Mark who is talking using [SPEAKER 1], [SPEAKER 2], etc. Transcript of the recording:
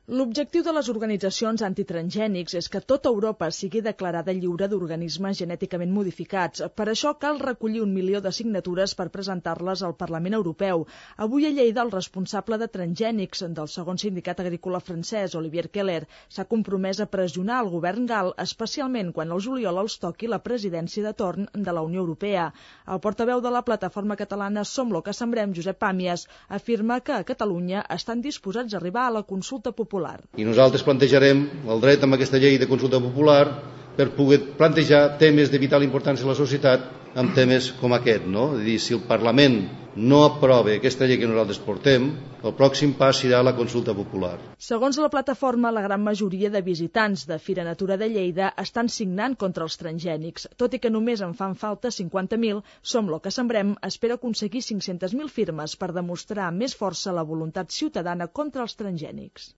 [SPEAKER 1] L'objectiu de les organitzacions antitransgènics és que tota Europa sigui declarada lliure d'organismes genèticament modificats. Per això cal recollir 1 milió de signatures per presentar-les al Parlament Europeu. Avui a Lleida el responsable de transgènics del segon sindicat agrícola francès, Olivier Keller, s'ha compromès a pressionar el govern gal, especialment quan al juliol els toqui la presidència de torn de la Unió Europea. El portaveu de la plataforma catalana Som lo que sembrem, Josep Pàmies, afirma que a Catalunya estan disposats a arribar a la consulta popular.
[SPEAKER 2] I nosaltres plantejarem el dret amb aquesta llei de consulta popular per poder plantejar temes de vital importància a la societat amb temes com aquest, no? És a dir, si el Parlament no aprova aquesta llei que nosaltres portem, el pròxim pas serà la consulta popular.
[SPEAKER 1] Segons la plataforma, la gran majoria de visitants de Fira Natura de Lleida estan signant contra els transgènics. Tot i que només en fan falta 50.000, Som lo que sembrem espera aconseguir 500.000 firmes per demostrar amb més força la voluntat ciutadana contra els transgènics.